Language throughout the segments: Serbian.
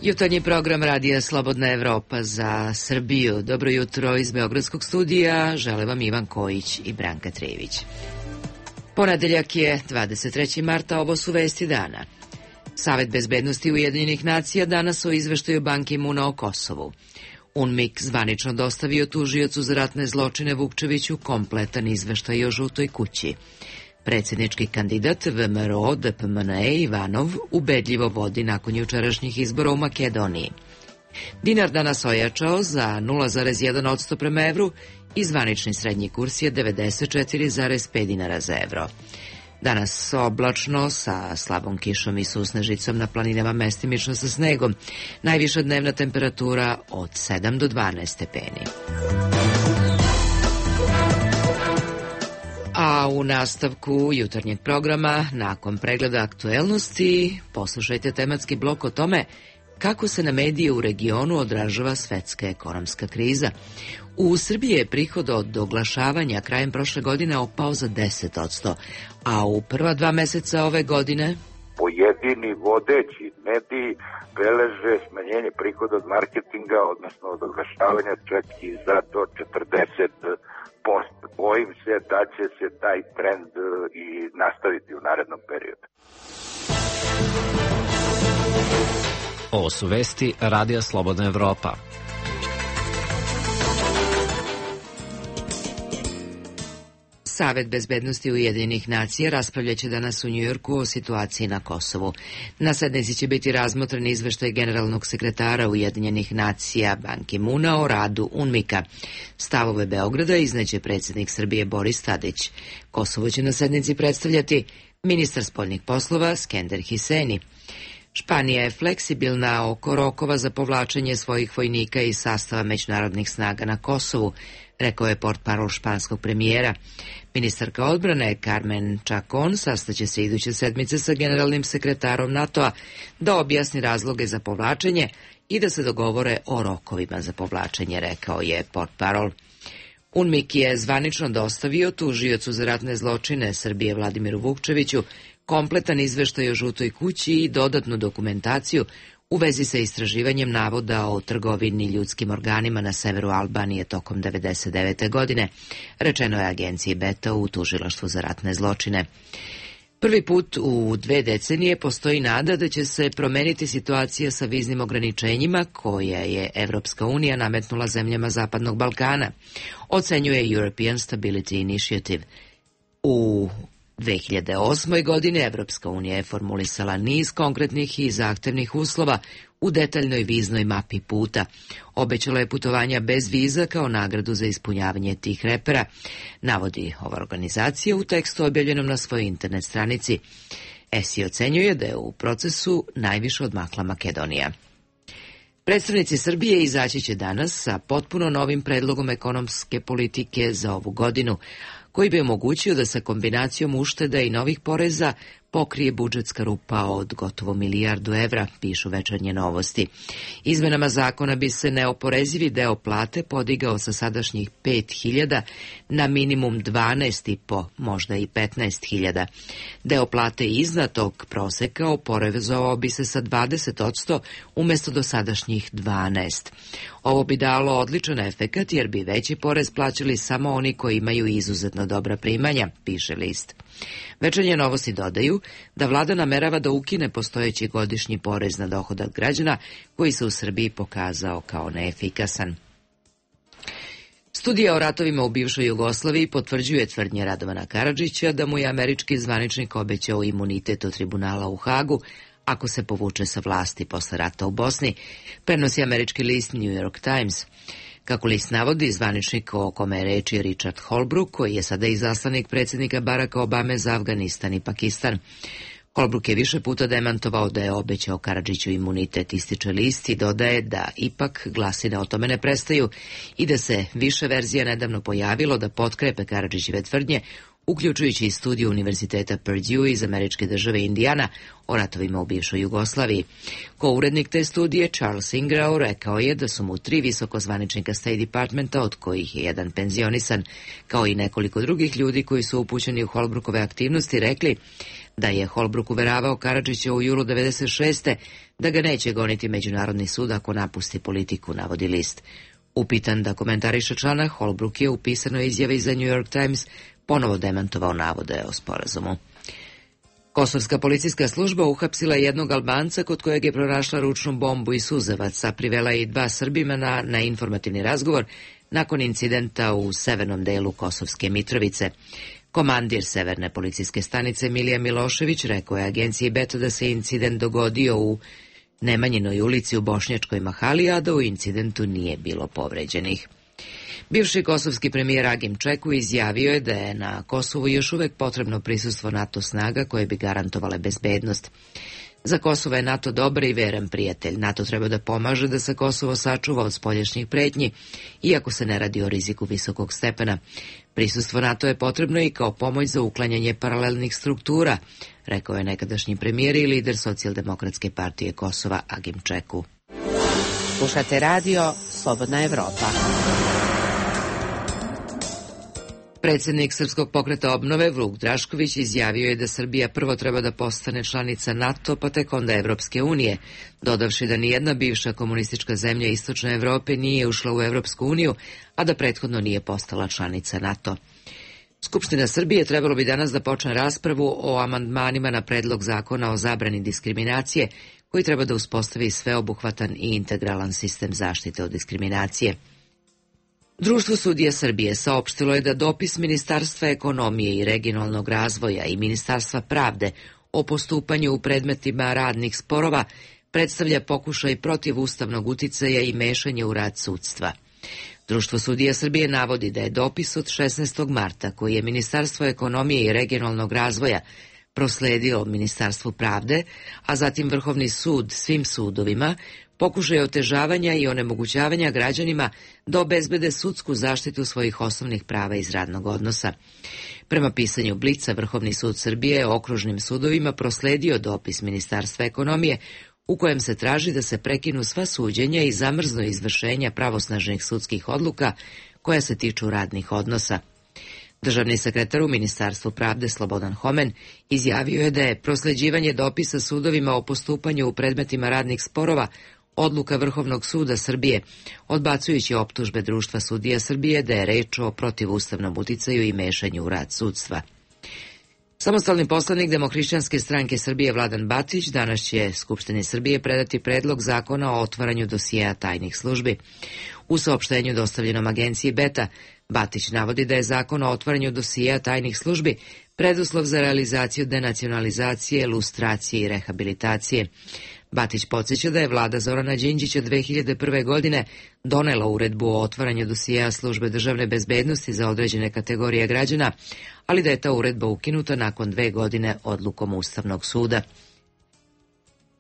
Jutarnji program Radija Slobodna Evropa za Srbiju. Dobro jutro iz Beogradskog studija. Žele vam Ivan Kojić i Branka Trević. Ponedeljak je 23. marta, ovo su vesti dana. Savet bezbednosti Ujedinjenih nacija danas o izveštaju Ban Ki-muna o Kosovu. UNMIK zvanično dostavio tužiocu za ratne zločine Vukčeviću kompletan izveštaj o žutoj kući. Predsjednički kandidat VMRO DPMNE Ivanov ubedljivo vodi nakon jučerašnjih izbora u Makedoniji. Dinar danas ojačao za 0,1% prema evru i zvanični srednji kurs je 94,5 dinara za evro. Danas oblačno sa slabom kišom i susnežicom, na planinama mestimično sa snegom. Najviša dnevna temperatura od 7 do 12 stepeni. A u nastavku jutarnjeg programa, nakon pregleda aktuelnosti, poslušajte tematski blok o tome kako se na medije u regionu odražava svetska ekonomska kriza. U Srbiji je prihod od oglašavanja krajem prošle godine opao za 10%, a u prva 2 meseca ove godine pojedini vodeći mediji beleže smanjenje prihoda od marketinga, odnosno od oglašavanja, čak i za to 40%. Bojim se da će se taj trend i nastaviti u narednom periodu. Ovo su vesti Radija Slobodna Evropa. Savet bezbednosti Ujedinjenih nacija raspravljaće danas u Njujorku o situaciji na Kosovu. Na sednici će biti razmotren izveštaj generalnog sekretara Ujedinjenih nacija Ban Ki-muna o radu UNMIK-a. Stavove Beograda izneće predsjednik Srbije Boris Tadić. Kosovo će na sednici predstavljati ministar spoljnih poslova Skender Hiseni. Španija je fleksibilna oko rokova za povlačenje svojih vojnika iz sastava međunarodnih snaga na Kosovu, rekao je portparol španskog premijera. Ministarka odbrane Carmen Chacon sastaće se iduće sedmice sa generalnim sekretarom NATO-a da objasni razloge za povlačenje i da se dogovore o rokovima za povlačenje, rekao je portparol. UNMIK je zvanično dostavio tužiocu za ratne zločine Srbije Vladimiru Vukčeviću kompletan izveštaj o žutoj kući i dodatnu dokumentaciju u vezi sa istraživanjem navoda o trgovini ljudskim organima na severu Albanije tokom 1999. godine, rečeno je agenciji Beta u tužilaštvu za ratne zločine. Prvi put u 2 decenije postoji nada da će se promeniti situacija sa viznim ograničenjima koje je Evropska unija nametnula zemljama Zapadnog Balkana, ocenjuje European Stability Initiative. U 2008. godine Evropska unija je formulisala niz konkretnih i zahtevnih uslova u detaljnoj viznoj mapi puta. Obećala je putovanja bez viza kao nagradu za ispunjavanje tih repera, navodi ova organizacija u tekstu objavljenom na svojoj internet stranici. ESI ocenjuje da je u procesu najviše odmakla Makedonija. Predstavnici Srbije izaći će danas sa potpuno novim predlogom ekonomske politike za ovu godinu, koji bi omogućio da sa kombinacijom ušteda i novih poreza pokrije budžetska rupa od gotovo milijardu evra, pišu Večernje novosti. Izmenama zakona bi se neoporezivi deo plate podigao sa sadašnjih 5.000 na minimum 12.500, možda i 15.000. Deo plate iznad tog proseka oporezovao bi se sa 20% umjesto do sadašnjih 12%. Ovo bi dalo odličan efekat jer bi veći porez plaćali samo oni koji imaju izuzetno dobra primanja, piše list. Večernje novosti dodaju da vlada namerava da ukine postojeći godišnji porez na dohodak građana koji se u Srbiji pokazao kao neefikasan. Studija o ratovima u bivšoj Jugoslaviji potvrđuje tvrdnje Radovana Karadžića da mu je američki zvaničnik obećao imunitet od tribunala u Hagu ako se povuče sa vlasti posle rata u Bosni, prenosi američki list New York Times. Kako list navodi, zvaničnik o kome je reč je Richard Holbrooke, koji je sada izaslanik predsjednika Baracka Obame za Afganistan i Pakistan. Holbrooke je više puta demantovao da je obećao Karadžiću imunitet, ističe list i dodaje da ipak glasine o tome ne prestaju i da se više verzija nedavno pojavilo da potkrepe Karadžićeve tvrdnje, uključujući i studiju Univerziteta Purdue iz američke države Indijana o ratovima u bivšoj Jugoslaviji. Ko-urednik te studije, Charles Ingrao, rekao je da su mu 3 visokozvaničnika State Departmenta, od kojih je jedan penzionisan, kao i nekoliko drugih ljudi koji su upućeni u Holbrookove aktivnosti, rekli da je Holbrook uveravao Karadžića u julu 1996. da ga neće goniti Međunarodni sud ako napusti politiku, navodi list. Upitan da komentariše člana, Holbrook je u pisanoj izjavi za New York Times ponovo demantovao navode o sporazumu. Kosovska policijska služba uhapsila jednog Albanca kod kojeg je pronašla ručnu bombu i suzavac, a privela je i 2 Srbimana na informativni razgovor nakon incidenta u severnom delu Kosovske Mitrovice. Komandir severne policijske stanice Milija Milošević rekao je agenciji Beta da se incident dogodio u Nemanjinoj ulici u Bošnjačkoj Mahali, a da u incidentu nije bilo povređenih. Bivši kosovski premijer Agim Čeku izjavio je da je na Kosovu još uvek potrebno prisustvo NATO snaga koje bi garantovale bezbednost. Za Kosovo je NATO dobar i veran prijatelj. NATO treba da pomaže da se Kosovo sačuva od spoljašnjih pretnji, iako se ne radi o riziku visokog stepena. Prisustvo NATO je potrebno i kao pomoć za uklanjanje paralelnih struktura, rekao je nekadašnji premijer i lider Socijaldemokratske partije Kosova Agim Čeku. Slušate radio Slobodna Evropa. Predsjednik Srpskog pokreta obnove Vuk Drašković izjavio je da Srbija prvo treba da postane članica NATO, pa tek onda Evropske unije, dodavši da nijedna bivša komunistička zemlja Istočne Evrope nije ušla u Evropsku uniju, a da prethodno nije postala članica NATO. Skupština Srbije trebalo bi danas da počne raspravu o amandmanima na predlog zakona o zabrani diskriminacije, koji treba da uspostavi sveobuhvatan i integralan sistem zaštite od diskriminacije. Društvo sudija Srbije saopštilo je da dopis Ministarstva ekonomije i regionalnog razvoja i Ministarstva pravde o postupanju u predmetima radnih sporova predstavlja pokušaj protivustavnog uticaja i mešanja u rad sudstva. Društvo sudija Srbije navodi da je dopis od 16. marta, koji je Ministarstvo ekonomije i regionalnog razvoja prosledio Ministarstvu pravde, a zatim Vrhovni sud svim sudovima, pokušaj otežavanja i onemogućavanja građanima da obezbede sudsku zaštitu svojih osnovnih prava iz radnog odnosa. Prema pisanju Blica, Vrhovni sud Srbije je okružnim sudovima prosledio dopis Ministarstva ekonomije u kojem se traži da se prekinu sva suđenja i zamrznu izvršenja pravosnažnih sudskih odluka koja se tiču radnih odnosa. Državni sekretar u Ministarstvu pravde Slobodan Homen izjavio je da je prosleđivanje dopisa sudovima o postupanju u predmetima radnih sporova odluka Vrhovnog suda Srbije, odbacujući optužbe Društva sudija Srbije da je reč o protivustavnom uticaju i mešanju u rad sudstva. Samostalni poslanik Demohrišćanske stranke Srbije Vladan Batić danas će Skupštini Srbije predati predlog zakona o otvaranju dosijeja tajnih službi. U saopštenju dostavljenom agenciji Beta, Batić navodi da je zakon o otvaranju dosijeja tajnih službi preduslov za realizaciju denacionalizacije, lustracije i rehabilitacije. Batić podsjeća da je vlada Zorana Đinđića 2001. godine donela uredbu o otvaranju dosijeja službe državne bezbednosti za određene kategorije građana, ali da je ta uredba ukinuta nakon 2 godine odlukom Ustavnog suda.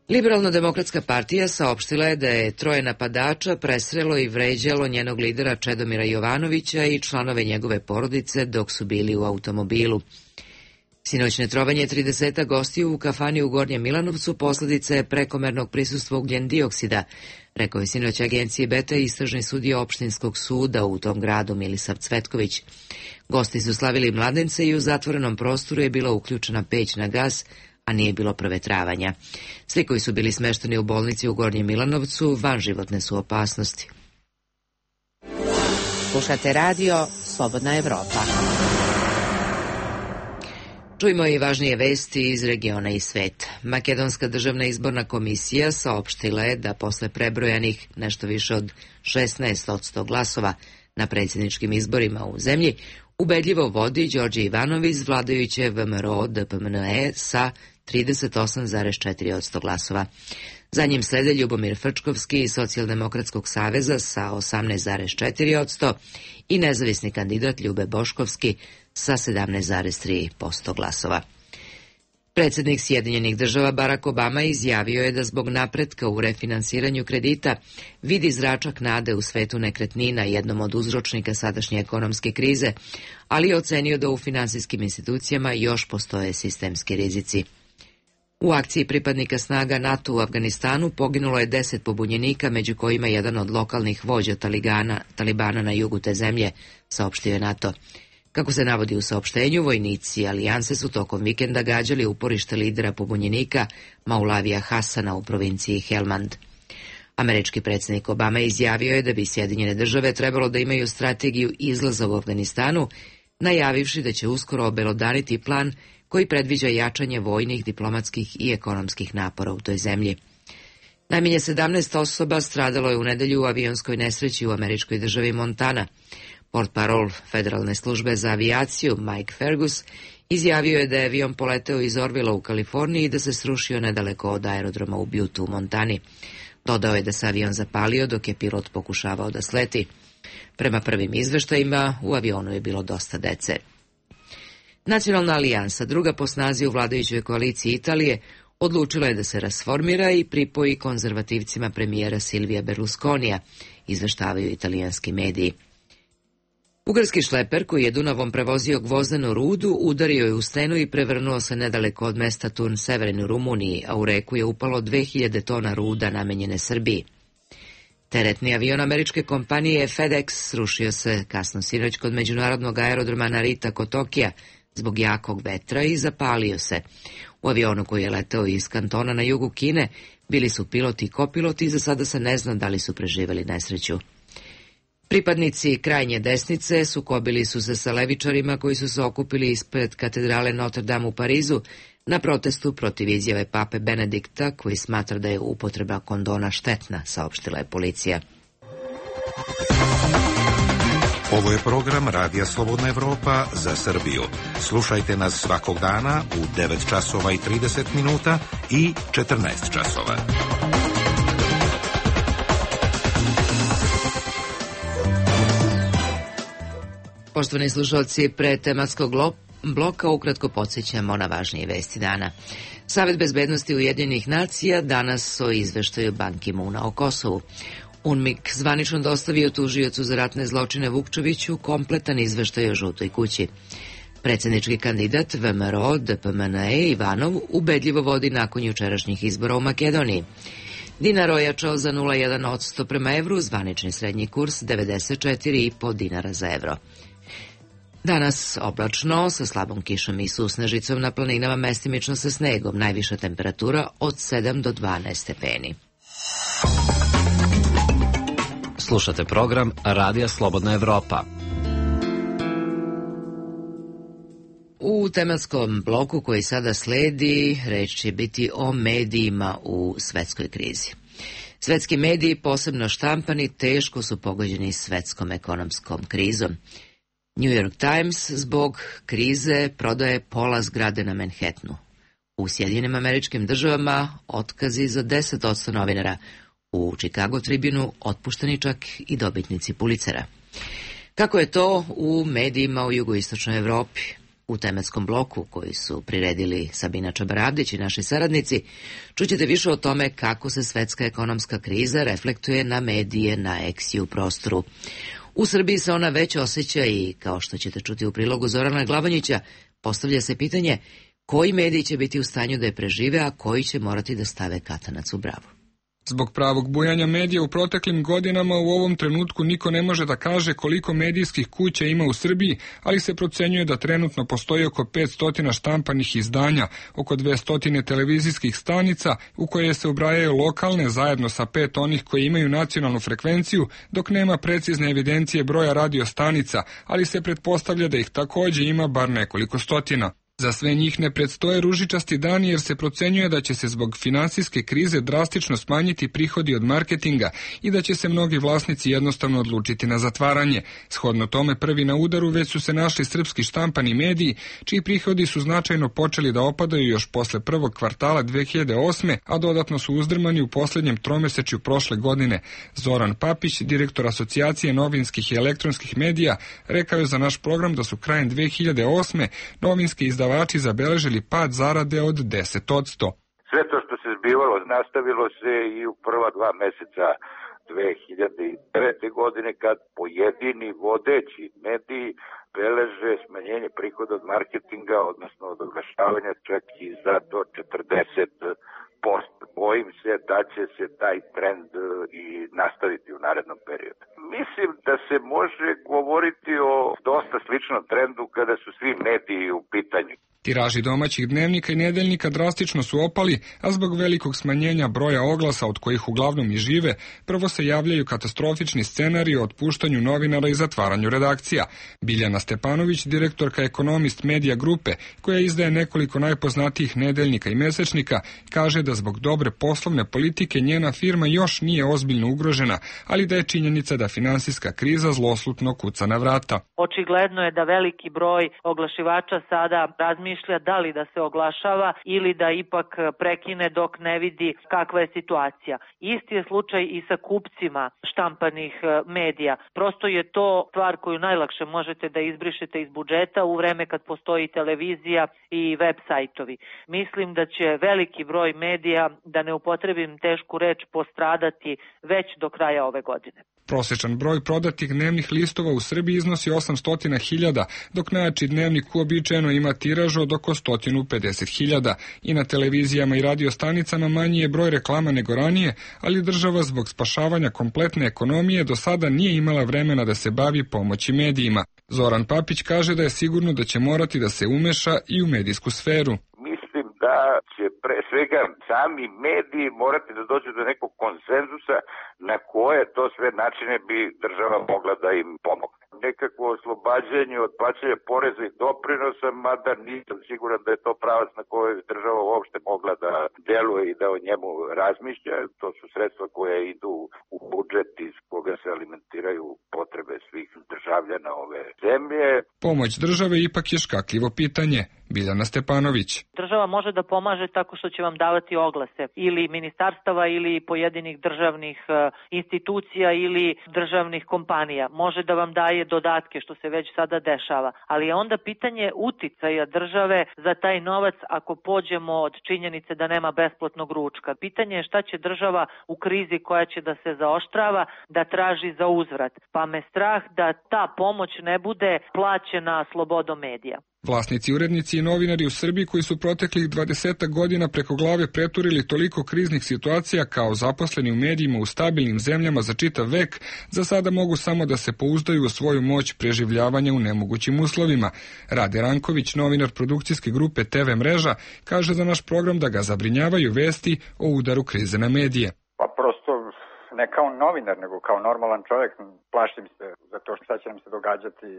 Liberalno-demokratska partija saopštila je da je 3 napadača presrelo i vređalo njenog lidera Čedomira Jovanovića i članove njegove porodice dok su bili u automobilu. Sinoćne trovanje 30 gostiju u kafani u Gornjem Milanovcu posledica je prekomernog prisustva ugljen dioksida, rekao je sinoć agenciji Beta istražni sudija opštinskog suda u tom gradu Milisav Cvetković. Gosti su slavili mladence i u zatvorenom prostoru je bila uključena peć na gas, a nije bilo provetravanja. Svi koji su bili smešteni u bolnici u Gornjem Milanovcu van životne su opasnosti. Slušate radio Slobodna Evropa. Čujmo i važnije vesti iz regiona i sveta. Makedonska državna izborna komisija saopštila je da posle prebrojanih nešto više od 16% glasova na predsjedničkim izborima u zemlji ubedljivo vodi Đorđe Ivanov iz vladajuće VMRO DPMNE sa 38,4% glasova. Za njim slede Ljubomir Frčkovski iz Socijaldemokratskog saveza sa 18,4% i nezavisni kandidat Ljube Boškovski sa 17,3% glasova. Predsjednik Sjedinjenih država Barack Obama izjavio je da zbog napretka u refinansiranju kredita vidi zračak nade u svetu nekretnina, jednom od uzročnika sadašnje ekonomske krize, ali je ocenio da u finansijskim institucijama još postoje sistemski rizici. U akciji pripadnika snaga NATO u Afganistanu poginulo je 10 pobunjenika, među kojima jedan od lokalnih vođa Talibana na jugu te zemlje, saopštio je NATO. Kako se navodi u saopštenju, vojnici alijanse su tokom vikenda gađali uporište lidera pobunjenika Maulavija Hasana u provinciji Helmand. Američki predsjednik Obama izjavio je da bi Sjedinjene države trebalo da imaju strategiju izlaza u Afganistanu, najavivši da će uskoro obelodaniti plan koji predviđa jačanje vojnih, diplomatskih i ekonomskih napora u toj zemlji. Najmanje 17 osoba stradalo je u nedelju u avionskoj nesreći u američkoj državi Montana. Portparol Federalne službe za avijaciju Mike Fergus izjavio je da je avion poleteo iz Orvilla u Kaliforniji i da se srušio nedaleko od aerodroma u Butte u Montani. Dodao je da se avion zapalio dok je pilot pokušavao da sleti. Prema prvim izveštajima, u avionu je bilo dosta dece. Nacionalna alijansa, druga po snazi u vladajućoj koaliciji Italije, odlučila je da se rasformira i pripoji konzervativcima premijera Silvija Berlusconija, izveštavaju italijanski mediji. Bugarski šleper, koji je Dunavom prevozio gvozdenu rudu, udario je u stenu i prevrnuo se nedaleko od mesta Turn Severin u Rumuniji, a u reku je upalo 2000 tona ruda namenjene Srbiji. Teretni avion američke kompanije FedEx srušio se kasno sinoć kod međunarodnog aerodroma Narita kod Tokija zbog jakog vetra i zapalio se. U avionu koji je leteo iz kantona na jugu Kine bili su piloti i kopiloti i za sada se ne zna da li su preživjeli nesreću. Pripadnici krajnje desnice sukobili su se sa levičarima koji su se okupili ispred katedrale Notre Dame u Parizu na protestu protiv izjave pape Benedikta koji smatra da je upotreba kondona štetna, saopštila je policija. Ovo je program Radija Slobodna Evropa za Srbiju. Slušajte nas svakog dana u 9 časova i 30 minuta i 14 časova. Poštovani slušalci, pre tematskog bloka ukratko podsjećamo na važnije vesti dana. Savet bezbednosti Ujedinjenih nacija danas o izveštaju Ban Ki-moona o Kosovu. UNMIK zvanično dostavio tužiocu za ratne zločine Vukčeviću kompletan izveštaj o žutoj kući. Predsjednički kandidat VMRO DPMNE Ivanov ubedljivo vodi nakon jučerašnjih izbora u Makedoniji. Dinar ojačao za 0,1% prema evru, zvanični srednji kurs 94,5 dinara za evro. Danas oblačno, sa slabom kišom i susnežicom na planinama, mestimično sa snegom, najviša temperatura od 7 do 12 stepeni. Slušate program Radija Slobodna Evropa. U tematskom bloku koji sada sledi, reč će biti o medijima u svetskoj krizi. Svetski mediji, posebno štampani, teško su pogođeni svetskom ekonomskom krizom. New York Times zbog krize prodaje pola zgrade na Manhattanu. U Sjedinjenim Američkim Državama otkazi za 10% novinara. U Chicago Tribunu otpušteni čak i dobitnici Pulitzera. Kako je to u medijima u jugoistočnoj Evropi? U tematskom bloku koji su priredili Sabina Čabaradić i naši saradnici, čućete više o tome kako se svetska ekonomska kriza reflektuje na medije na eks i u prostoru. U Srbiji se ona već osjeća i, kao što ćete čuti u prilogu Zorana Glavanjića, postavlja se pitanje koji mediji će biti u stanju da je prežive, a koji će morati da stave katanac u bravu. Zbog pravog bujanja medija u proteklim godinama u ovom trenutku niko ne može da kaže koliko medijskih kuća ima u Srbiji, ali se procenjuje da trenutno postoji oko 500 štampanih izdanja, oko 200 televizijskih stanica u koje se ubrajaju lokalne zajedno sa 5 onih koji imaju nacionalnu frekvenciju, dok nema precizne evidencije broja radio stanica, ali se pretpostavlja da ih takođe ima bar nekoliko stotina. Za sve njih ne predstoje ružičasti dani jer se procenjuje da će se zbog finansijske krize drastično smanjiti prihodi od marketinga i da će se mnogi vlasnici jednostavno odlučiti na zatvaranje. Shodno tome prvi na udaru već su se našli srpski štampani mediji, čiji prihodi su značajno počeli da opadaju još posle prvog kvartala 2008. a dodatno su uzdrmani u poslednjem tromesečju prošle godine. Zoran Papić, direktor Asocijacije novinskih i elektronskih medija, rekao je za naš program da su krajem 2008. novinske izdavače izdavači zabeležili pad zarade od 10%. Sve to što se zbivalo nastavilo se i u prva 2 meseca 2009. godine kad pojedini vodeći mediji beleže smanjenje prihoda od marketinga, odnosno od oglašavanja čak i za to 40%. Bojim se da će se taj trend i nastaviti u narednom periodu. Mislim da se može govoriti o dosta sličnom trendu kada su svi mediji u pitanju. Tiraži domaćih dnevnika i nedeljnika drastično su opali, a zbog velikog smanjenja broja oglasa od kojih uglavnom i žive, prvo se javljaju katastrofični scenariji o otpuštanju novinara i zatvaranju redakcija. Biljana Stepanović, direktorka Ekonomist Medija grupe, koja izdaje nekoliko najpoznatijih nedeljnika i mesečnika, kaže da zbog dobre poslovne politike njena firma još nije ozbiljno ugrožena, ali da je činjenica da finansijska kriza zloslutno kuca na vrata. Očigledno je da veliki broj oglašivača sada razmišlja da li da se oglašava ili da ipak prekine dok ne vidi kakva je situacija. Isti je slučaj i sa kupcima štampanih medija. Prosto je to stvar koju najlakše možete da izbrišete iz budžeta u vreme kad postoji televizija i web sajtovi. Mislim da će veliki broj medija, da ne upotrebim tešku reč, postradati već do kraja ove godine. Prosječan broj prodatih dnevnih listova u Srbiji iznosi 800.000, dok najjači dnevnik uobičajeno ima tiraž od oko 150.000 i na televizijama i radiostanicama manji je broj reklama nego ranije, ali država zbog spašavanja kompletne ekonomije do sada nije imala vremena da se bavi pomoći medijima. Zoran Papić kaže da je sigurno da će morati da se umeša i u medijsku sferu. Da će pre svega sami mediji morati da dođu do nekog konsenzusa na koje to sve načine bi država mogla da im pomogne. Nekakvo oslobađanje od plaćanja poreza i doprinosa, mada nisam siguran da je to pravac na kojoj država uopšte mogla da deluje i da o njemu razmišlja. To su sredstva koje idu u budžet iz koga se alimentiraju potrebe svih državljana ove zemlje. Pomoć države ipak je škakljivo pitanje. Biljana Stepanović. Država može da pomaže tako što će vam davati oglase ili ministarstava ili pojedinih državnih institucija ili državnih kompanija. Može da vam daje dodatke što se već sada dešava, ali je onda pitanje uticaja države za taj novac ako pođemo od činjenice da nema besplatnog ručka. Pitanje je šta će država u krizi koja će da se zaoštrava da traži za uzvrat, pa me strah da ta pomoć ne bude plaćena slobodom medija. Vlasnici, urednici i novinari u Srbiji koji su proteklih 20 godina preko glave preturili toliko kriznih situacija kao zaposleni u medijima u stabilnim zemljama za čitav vek, za sada mogu samo da se pouzdaju u svoju moć preživljavanja u nemogućim uslovima. Rade Ranković, novinar produkcijske grupe TV Mreža, kaže za naš program da ga zabrinjavaju vesti o udaru krize na medije. Pa prosto ne kao novinar, nego kao normalan čovjek plašim se za to šta će nam se događati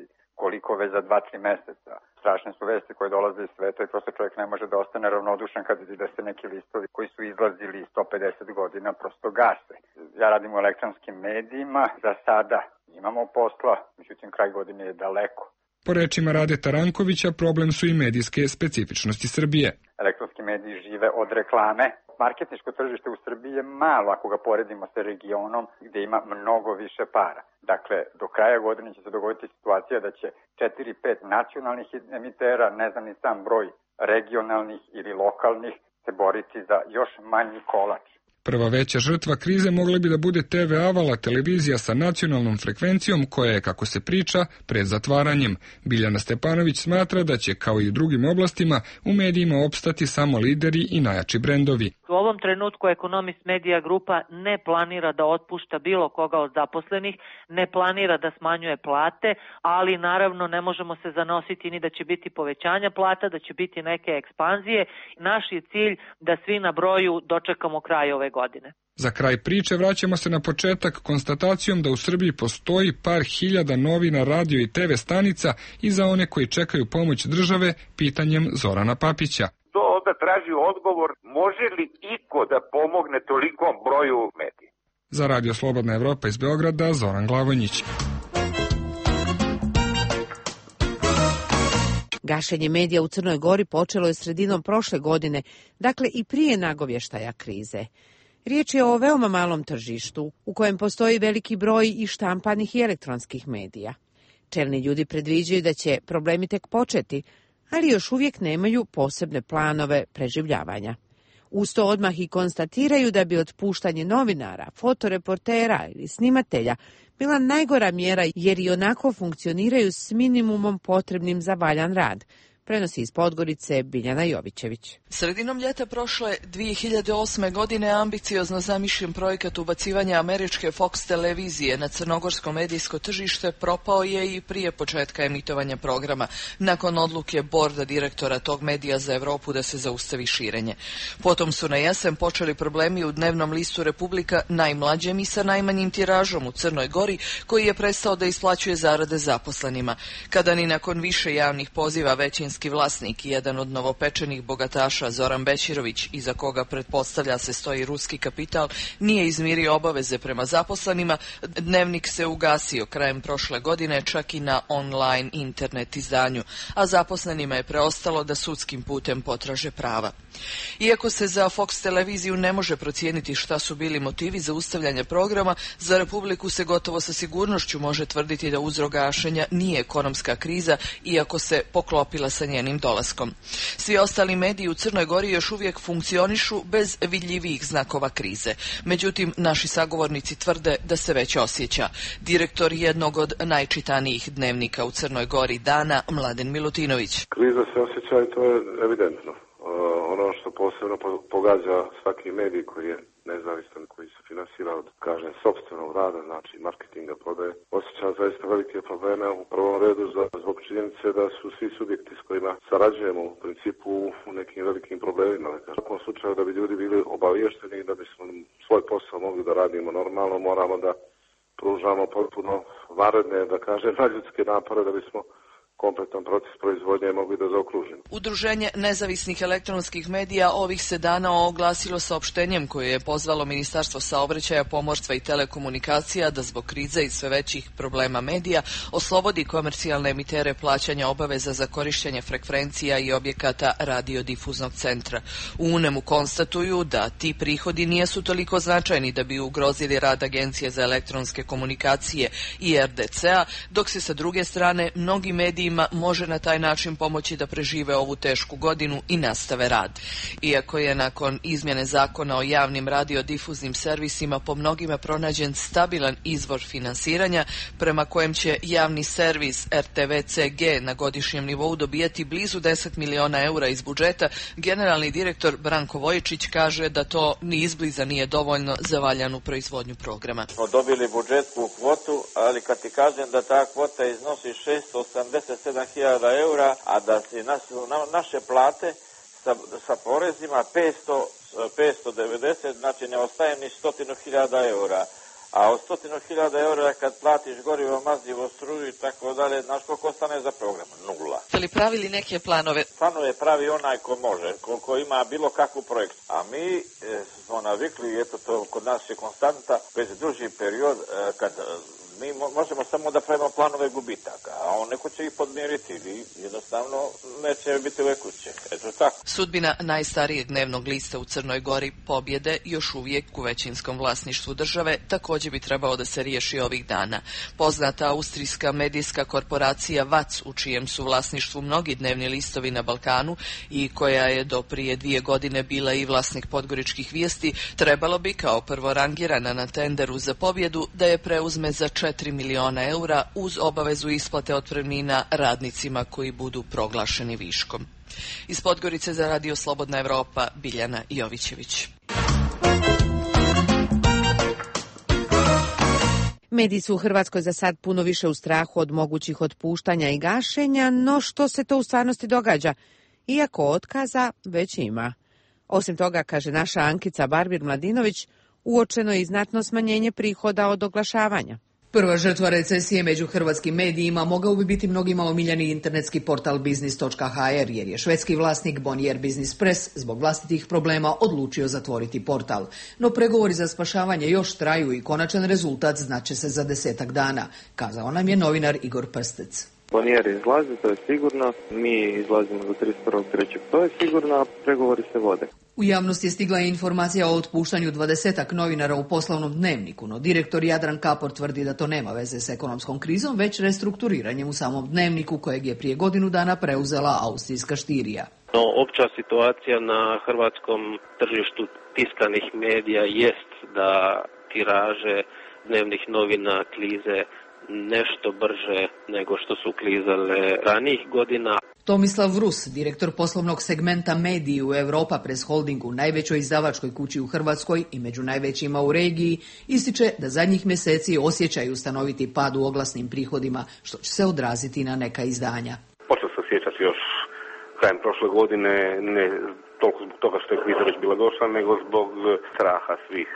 koliko već za 2-3 meseca. Strašne su vesti koje dolaze iz sveta i prosto čovjek ne može da ostane ravnodušan kad vidi da se neki listovi koji su izlazili 150 godina prosto gase. Ja radim u elektronskim medijima, za sada imamo posla, međutim kraj godine je daleko. Po rečima Radeta Rankovića, problem su i medijske specifičnosti Srbije. Elektronski mediji žive od reklame. Marketinško tržište u Srbiji je malo ako ga poredimo sa regionom gdje ima mnogo više para. Dakle, do kraja godine će se dogoditi situacija da će 4-5 nacionalnih emitera, ne znam ni sam broj regionalnih ili lokalnih, se boriti za još manji kolač. Prva veća žrtva krize mogla bi da bude TV Avala, televizija sa nacionalnom frekvencijom koja je, kako se priča, pred zatvaranjem. Biljana Stepanović smatra da će, kao i u drugim oblastima, u medijima opstati samo lideri i najjači brendovi. U ovom trenutku Ekonomist Medija grupa ne planira da otpušta bilo koga od zaposlenih, ne planira da smanjuje plate, ali naravno ne možemo se zanositi ni da će biti povećanja plata, da će biti neke ekspanzije. Naš je cilj da svi na broju dočekamo kraj ove godine. Za kraj priče vraćamo se na početak konstatacijom da u Srbiji postoji par hiljada novina, radio i TV stanica i za one koji čekaju pomoć države pitanjem Zorana Papića. To onda traži odgovor, može li iko da pomogne tolikom broju medija? Za Radio Slobodna Evropa iz Beograda, Zoran Glavonjić. Gašenje medija u Crnoj Gori počelo je sredinom prošle godine, dakle i prije nagovještaja krize. Riječ je o veoma malom tržištu, u kojem postoji veliki broj i štampanih i elektronskih medija. Čelni ljudi predviđaju da će problemi tek početi, ali još uvijek nemaju posebne planove preživljavanja. Uz to odmah i konstatiraju da bi otpuštanje novinara, fotoreportera ili snimatelja bila najgora mjera jer i onako funkcioniraju s minimumom potrebnim za valjan rad. Prenosi iz Podgorice Biljana Jovićević. Sredinom ljeta prošle 2008. godine ambiciozno zamišljen projekat ubacivanja američke Fox televizije na crnogorsko medijsko tržište propao je i prije početka emitovanja programa, nakon odluke borda direktora tog medija za Europu da se zaustavi širenje. Potom su na jesen počeli problemi u dnevnom listu Republika, najmlađem i sa najmanjim tiražom u Crnoj Gori, koji je prestao da isplaćuje zarade zaposlenima. Kada ni nakon više javnih poziva većinski vlasnik i jedan od novopečenih bogataša Zoran Bećirović, iza koga pretpostavlja se stoji ruski kapital, nije izmirio obaveze prema zaposlenima, dnevnik se ugasio krajem prošle godine čak i na online internet izdanju, a zaposlenima je preostalo da sudskim putem potraže prava. Iako se za Fox televiziju ne može procijeniti šta su bili motivi za ustavljanje programa, za Republiku se gotovo sa sigurnošću može tvrditi da uzrok gašenja nije ekonomska kriza, iako se poklopila sa njenim dolaskom. Svi ostali mediji u Crnoj Gori još uvijek funkcionišu bez vidljivih znakova krize. Međutim, naši sagovornici tvrde da se već osjeća. Direktor jednog od najčitanijih dnevnika u Crnoj Gori Dana, Mladen Milutinović. Kriza se osjeća i to je evidentno. Ono što posebno pogađa svaki medij koji je nezavistan, koji se finansira od, sopstvenog rada, znači marketinga, prodaje, osjeća zaista velike probleme u prvom redu zbog činjenice da su svi subjekti s kojima sarađujemo u principu u nekim velikim problemima. U svakom slučaju da bi ljudi bili obaviješteni i da bismo svoj posao mogli da radimo normalno, moramo da pružamo potpuno vanredne, nadljudske napore da bismo kompletan proces proizvodnje mogli da zaokružimo. Udruženje nezavisnih elektronskih medija ovih se dana oglasilo saopštenjem koje je pozvalo Ministarstvo saobraćaja, pomorstva i telekomunikacija da zbog krize i sve većih problema medija oslobodi komercijalne emitere plaćanja obaveza za korištenje frekvencija i objekata radiodifuznog centra. U UNEM-u konstatuju da ti prihodi nisu toliko značajni da bi ugrozili rad Agencije za elektronske komunikacije i RDC-a, dok se sa druge strane mnogi mediji može na taj način pomoći da prežive ovu tešku godinu i nastave rad. Iako je nakon izmjene zakona o javnim radiodifuznim servisima po mnogima pronađen stabilan izvor finansiranja, prema kojem će javni servis RTV-CG na godišnjem nivou dobijati blizu 10 miliona eura iz budžeta, generalni direktor Branko Vojičić kaže da to ni izbliza nije dovoljno za valjanu proizvodnju programa. Smo dobili budžetsku kvotu, ali kad ti kažem da ta kvota iznosi 687.000 eura, a da se naše plate sa porezima 590, znači ne ostaje ni 100.000 eura. A od 100.000 eura kad platiš gorivo, mazivo, struju i tako dalje, znaš koliko ostane za program? Nula. Ste li pravili neke planove? Planove pravi onaj ko može, ko ima bilo kakvu projektu. A mi smo navikli, eto to kod nas je konstanta, već duži period kad mi možemo samo da pravimo planove gubitaka, a on neko će ih podmiriti ili jednostavno neće biti ove kuće. Eto tako. Sudbina najstarijeg dnevnog lista u Crnoj Gori, Pobjede, još uvijek u većinskom vlasništvu države, također bi trebao da se riješi ovih dana. Poznata austrijska medijska korporacija VAC, u čijem su vlasništvu mnogi dnevni listovi na Balkanu i koja je do prije 2 godine bila i vlasnik Podgoričkih vijesti, trebalo bi kao prvorangirana na tenderu za pobjedu da je preuzme za 4 miliona eura uz obavezu isplate otpremnina radnicima koji budu proglašeni viškom. Iz Podgorice za Radio Slobodna Evropa, Biljana Jovićević. Mediji su u Hrvatskoj za sad puno više u strahu od mogućih otpuštanja i gašenja, no što se to u stvarnosti događa, iako otkaza već ima. Osim toga, kaže naša Ankica Barbir-Mladinović, uočeno je i znatno smanjenje prihoda od oglašavanja. Prva žrtva recesije među hrvatskim medijima mogao bi biti mnogima omiljeni internetski portal biznis.hr, jer je švedski vlasnik Bonnier Business Press zbog vlastitih problema odlučio zatvoriti portal. No pregovori za spašavanje još traju i konačan rezultat znaće se za 10 dana, kazao nam je novinar Igor Prstec. Bonnier izlazi, to je sigurno. Mi izlazimo do 31.3. To je sigurno, a pregovori se vode. U javnosti je stigla informacija o otpuštanju 20-ak novinara u poslovnom dnevniku, no direktor Jadran Kapor tvrdi da to nema veze s ekonomskom krizom, već restrukturiranjem u samom dnevniku kojeg je prije godinu dana preuzela austrijska Štirija. No, opća situacija na hrvatskom tržištu tiskanih medija jest da tiraže dnevnih novina klize nešto brže nego što su klizale ranijih godina. Tomislav Vrus, direktor poslovnog segmenta mediji u Europa Press Holdingu, najvećoj izdavačkoj kući u Hrvatskoj i među najvećima u regiji, ističe da zadnjih mjeseci osjećaju stanoviti pad u oglasnim prihodima, što će se odraziti na neka izdanja. Počeo se osjećati još krajem prošle godine, ne toliko zbog toga što je kriza već bila došla, nego zbog straha svih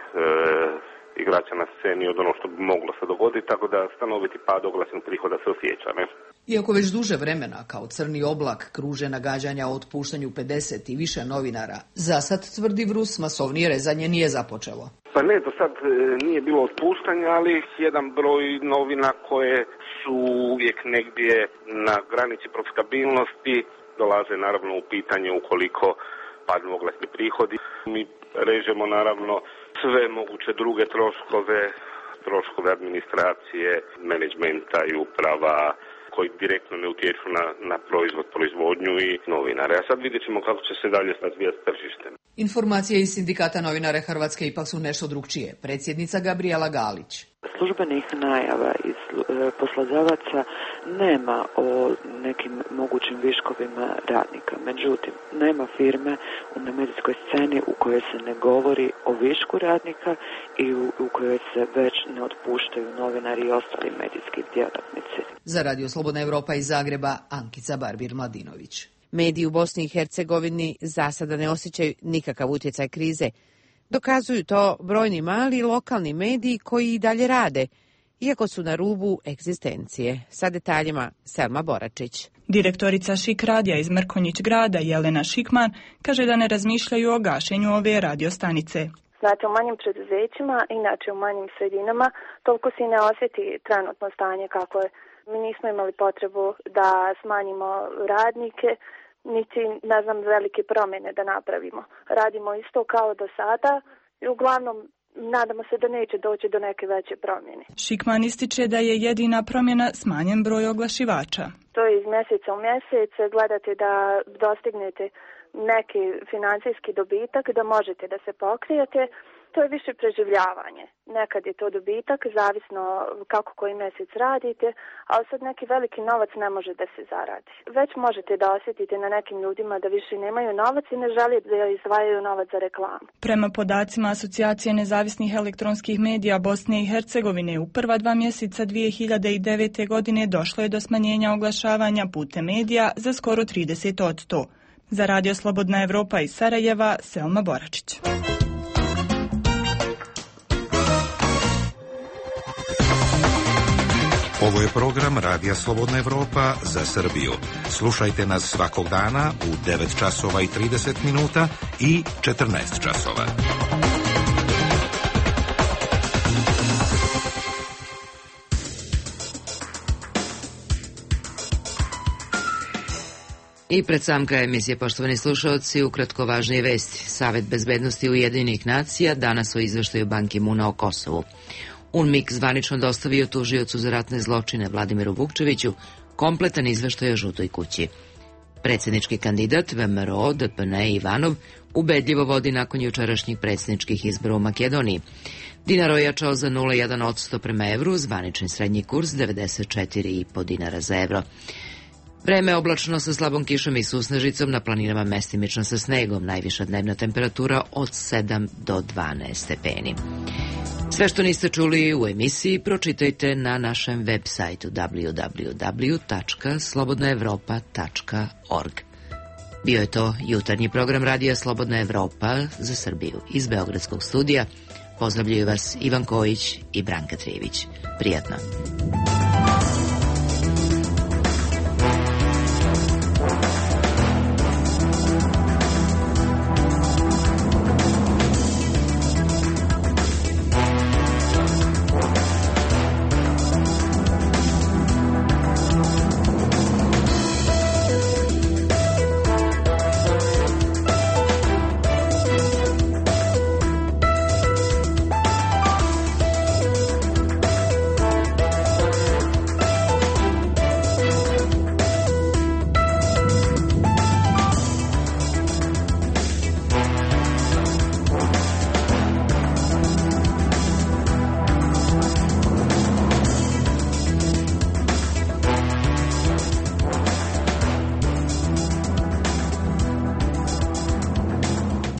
igrača na sceni od ono što bi moglo se dogoditi, tako da stanoviti pad oglasnih prihoda se osjeća, ne? Iako već duže vremena kao crni oblak kruže nagađanja o otpuštanju 50 i više novinara, zasad, tvrdi Vrus, masovnije rezanje nije započelo. Pa ne, do sad nije bilo otpuštanja, ali jedan broj novina koje su uvijek negdje na granici profitabilnosti dolaze naravno u pitanje ukoliko padnu oglasni prihodi. Mi režemo naravno sve moguće druge troškove administracije, menadžmenta i uprava koji direktno ne utječu na proizvodnju i novinare. A sad vidjet ćemo kako će se dalje razvijati tržište. Informacije iz Sindikata novinara Hrvatske ipak su nešto drukčije. Predsjednica Gabriela Galić. Službenih najava iz poslodavaca nema o nekim mogućim viškovima radnika. Međutim, nema firme na medijskoj sceni u kojoj se ne govori o višku radnika i u kojoj se već ne otpuštaju novinari i ostali medijski djelatnici. Za Radio Slobodna Evropa iz Zagreba, Ankica Barbir-Mladinović. Mediji u Bosni i Hercegovini za sada ne osjećaju nikakav utjecaj krize. Dokazuju to brojni mali lokalni mediji koji i dalje rade, iako su na rubu egzistencije. Sa detaljima Selma Boračić. Direktorica Šik radija iz Mrkonjić grada Jelena Šikman kaže da ne razmišljaju o gašenju ove radiostanice. Znači u manjim preduzećima, inače u manjim sredinama, toliko se ne osjeti trenutno stanje kako je. Mi nismo imali potrebu da smanjimo radnike, niti, velike promjene da napravimo. Radimo isto kao do sada i uglavnom nadamo se da neće doći do neke veće promjene. Šikman ističe da je jedina promjena smanjen broj oglašivača. To je iz mjeseca u mjesec, gledate da dostignete neki financijski dobitak, da možete da se pokrijete. To je više preživljavanje. Nekad je to dobitak, zavisno kako koji mjesec radite, ali sad neki veliki novac ne može da se zaradi. Već možete da osjetite na nekim ljudima da više nemaju novac i ne žele da izdvajaju novac za reklamu. Prema podacima Asocijacije nezavisnih elektronskih medija Bosne i Hercegovine, u prva 2 mjeseca 2009. godine došlo je do smanjenja oglašavanja putem medija za skoro 30%. Za Radio Slobodna Evropa iz Sarajeva, Selma Boračić. Ovo je program Radija Slobodna Evropa za Srbiju. Slušajte nas svakog dana u 9 časova i 30 minuta i 14 časova. I pred sam kraj emisije, poštovani slušalci, ukratko važnije vesti. Savet bezbednosti Ujedinjenih nacija danas o izveštaju Ban Ki-moona o Kosovu. UNMIK zvanično dostavio tužiocu za ratne zločine Vladimiru Vukčeviću kompletan izveštaj o Žutoj kući. Predsjednički kandidat VMRO DPN Ivanov ubedljivo vodi nakon jučerašnjih predsjedničkih izbora u Makedoniji. Dinar ojačao za 0,1% prema evru, zvanični srednji kurs 94,5 dinara za evro. Vreme je oblačno sa slabom kišom i susnežicom, na planinama mestimično sa snegom, najviša dnevna temperatura od 7 do 12 stepeni. Sve što niste čuli u emisiji pročitajte na našem web sajtu www.slobodnaevropa.org. Bio je to jutarnji program Radija Slobodna Evropa za Srbiju. Iz Beogradskog studija pozdravljaju vas Ivan Kojić i Branka Trijević. Prijatno.